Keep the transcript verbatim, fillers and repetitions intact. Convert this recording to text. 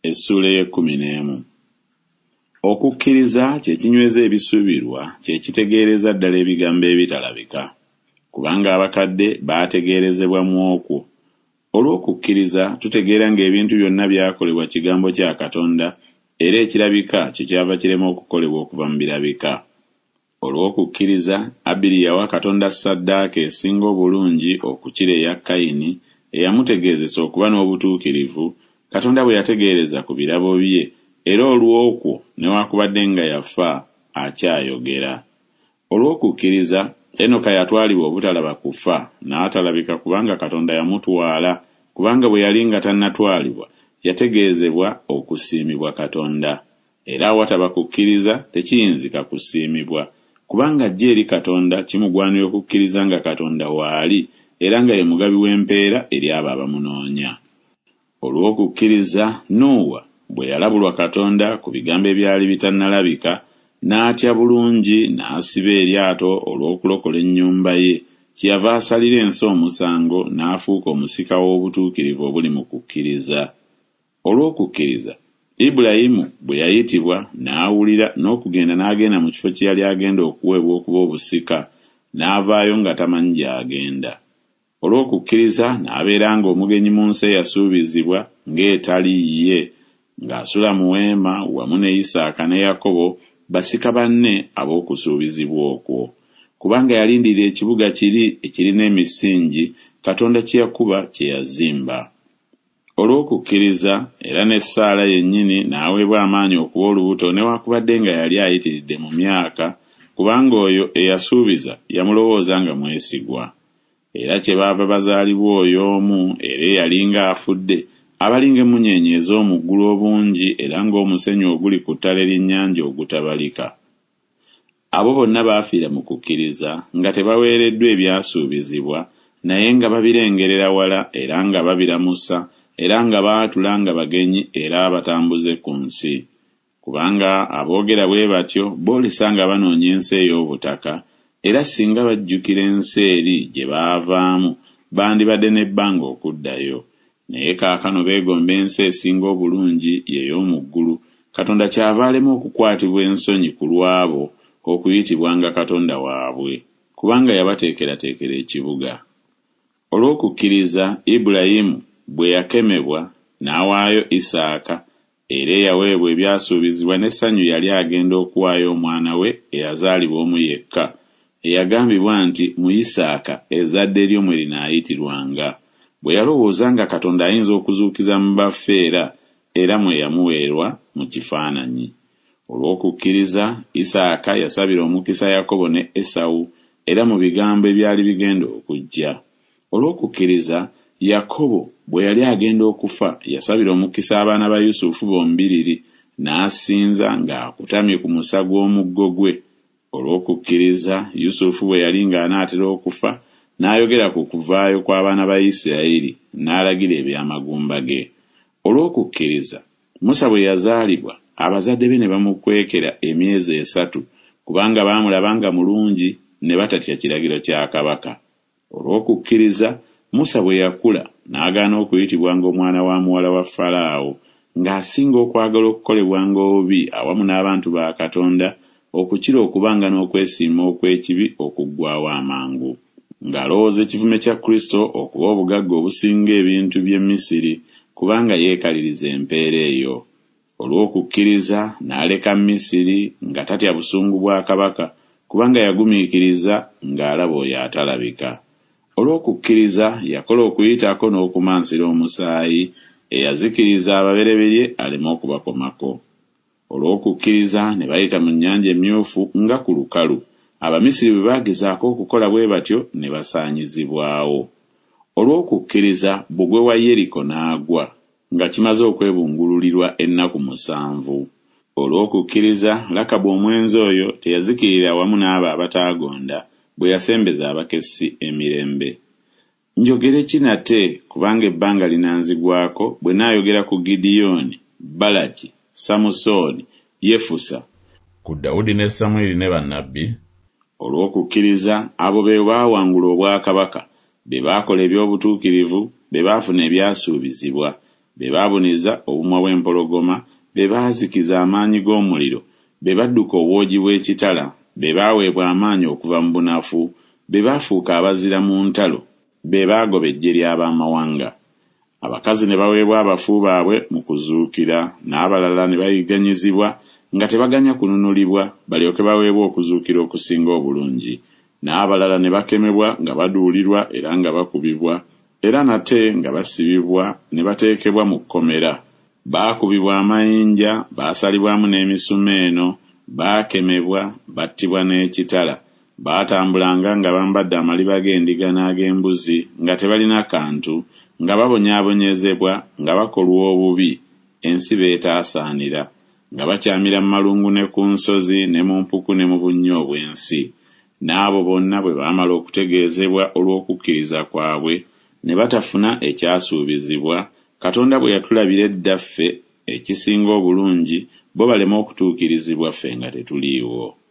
Essuula ey'ekkumi n'emu. Okukkiriza kye kinyweza ebisuubirwa, kye kitegeereza ddala ebigambo ebitalabika. Kubanga abakadde baategeerezebwa mu okwo. Olw'okukkiriza tutegeera ng'ebintu byonna byakolebwa kigambo kya Katonda, era ekirabika kyekyava kirema okukolebwa okuva mu birabika. Olw'okukkiriza Abiri yawa Katonda ssaddaaka esinga obulungi okukira eya Kayini, eyamutegeezesa okuba n'obutuukirivu, Katonda bwe yategeereza ku birabo bye, era olw'okwo newakubadde nga yafa, akyayogera. Olw'okukkiriza Enoka yatwalibwa obutalaba kufa, n'atalabika kubanga Katonda yamutwala, kubanga bwe yali nga tannatwalibwa, yategeezebwa okusiimibwa Katonda. Era awataba kukkiriza tekiyinzika kusiimibwa, kubanga ajja eri Katonda kimugwanira okukkiriza nga Katonda waali, era nga ye mugabi w'empeera eri abo abamunoonya. Olw'okukkiriza Nuuwa bwe yalabulwa Katonda ku bigambo ebyali bitannalabika, n'atya bulungi n'asiba eryato olw'okulokola ennyumba ye, kyeyava asalira ensi omusango n'afuuka omusika w'obutuukirivu obuli mu kukkiriza. Olw'okukkiriza Ibulayimu bwe yayitibwa n'awulira n'okugenda n'agenda mu kifo kye yali agenda okuweebwa okuba obusika, n'avaayo nga tamanyi gy'agenda. Olw'okukkiriza n'abeeranga omugenyi mu nsi eyasuubizibwa ng'etali yiye, ng'asula mu weema wamu ne Isaaka ne Yakobo basika banne ab'okusuubizibwa okwo. Kubanga yalindirira ekibuga kiri ekirina emisingi, Katonda kye yakuba kye yazimba. Olw'okukkiriza era ne Saala yennyini n'aweebwa amaanyi okuba olubuto newakubadde nga yali ayitiridde mu myaka, kubanga oyo eyasuubiza yamulowooza nga mwesigwa. Era kyebaava bazaalibwa oyo omu era eyalinga afudde, abalinga emmunyeenye ez'omu ggulu obungi era ng'omusenyu oguli ku ttale ly'ennyanja ogutabalika. Abo bonna baafiira mu kukkiriza nga tebaweereddwa ebyasuubizibwa, naye nga babirengerera wala era nga babiramusa, era nga baatula nga bagenyi era abatambuze ku nsi. Kubanga aboogera bwe batyo boolesa nga banoonya ensi ey'obutaka, era singa bajjukira ensi eri gye baavaamu, bandibadde n'ebbanga okuddayo. Naye kaakano beegomba ensi esinga obulungi, ye y'omu ggulu, Katonda kyava alema okukwatibwa ensonyi ku lw'abo okuyitibwanga Katonda waabwe, kubanga yabateekerateekera ekibuga. Olw'okukkiriza Ibulayimu bwe yakemebwa, n'awaayo Isaaka, era eyaweebwa ebyasuubizibwa n'essanyu yali agenda okuwaayo omwana we eyazaalibwa omu yekka, eyagambibwa nti mu Isaaka ezzadde lyo mwe linaayitirwanga. Bwe yalowooza nga Katonda ayinza okuzuukiza mu bafu era, era mwe yamuweerwa mu kifaananyi. Olw'okukkiriza Isaaka yasabira omukisa Yakobo ne Esawu, era mu bigambo ebyali bigenda okujja. Olw'okukkiriza Yakobo bwe yali agenda okufa yasabira omukisa abaana ba Yusufu bombiriri, n'asinza ng'akutamye ku musa gw'omuggo gwe. Olw'okukkiriza Yusufu bwe yali ng'anaatera okufa, n'ayogera ku kuvaayo kw'abaana ba Isirayiri, n'alagira eby'amagumba ge. Olw'okukkiriza Musa bwe yazaalibwa, abazadde be ne bamukwekera emyezi esatu, kubanga baamulaba nga mulungi, ne batatya kiragiro kya kabaka. Olw'okukkiriza Musa bwe yakula, n'agaana okuyitibwanga omwana wa muwala wa Falaawo, ng'asinga okwagala okukolebwanga obubi awamu n'abantu ba Katonda, okukira okubanga n'okwesiima okw'ekibi okuggwaawo amangu. Ng'alowooza ekivume kya Kristo okuba obugagga obusinga ebintu by'e Misiri, kubanga yeekaliriza empeera eyo. Olw'okukkiriza n'aleka Misiri nga tatya busungu bwa kabaka, kubanga yagumiikiriza ng'alaba oyo atalabika. Olw'okukkiriza yakola okuyitako n'okumansira omusaayi, eyazikiriza ababereberye aleme okubakomako. Olw'okukkiriza ne bayita mu Nnyanja Emmyufu nga ku lukalu, Abamisiri bwe baagezaako okukola bwe batyo ne basaanyizibwawo. Olw'okukkiriza bbugwe wa Yeriko n'agwa, nga kimaze okwebungululirwa ennaku musanvu. Olw'okukkiriza Lakabu omwenzi oyo teyazikirira wamu n'abo abataagonda, bwe yasembeza abakessi emirembe. Njogere ki nate, kubanga ebbanga linanzigwako bwe naayogera ku Gidiyooni, Balaki, Samusooni, Yefusa, ku Dawudi ne Samwiri ne bannabbi? Olw'okukkiriza abo be baawangula obwakabaka, be baakola eby'obutuukirivu, be baafuna ebyasuubizibwa, Be baabuniza obumwa bw'empologoma, be baazikiza amaanyi g'omuliro, be badduka obwogi bw'ekitala, be baaweebwa amaanyi okuva mu bunafu, be baafuuka abazira mu ntalo, be baagoba eggye ly'ab'amawanga. Abakazi ne baweebwa abafu baabwe mu kuzuukira, n'abalala ne bayigganyizibwa nga tebaganya kununulibwa, balyoke baweebwe okuzuukira okusinga obulungi. N'abalala ne bakemebwa nga baduulirwa era nga bakubibwa, era nate nga basibibwa ne bateekebwa mu kkomera. Baakubibwa amayinja, baasalibwamu n'emisumeeno, baakemebwa, battibwa n'ekitala. Baatambulanga nga bambadde amaliba g'endiga n'ag'embuzi, nga tebalina kantu, nga babonyaabonyezebwa, nga bakolwa obubi, ensi b'etaasaanira, nga bakyamira mu malungu ne ku nsozi ne mu mpuku ne mu bunnya obw'ensi. N'abo bonna bwe baamala okutegeezebwa olw'okukkiriza kwabwe, ne batafuna ekyasuubizibwa, Katonda bwe yatulabira edda ffe ekisinga obulungi, bo baleme okutuukirizibwa ffe nga tetuliiwo.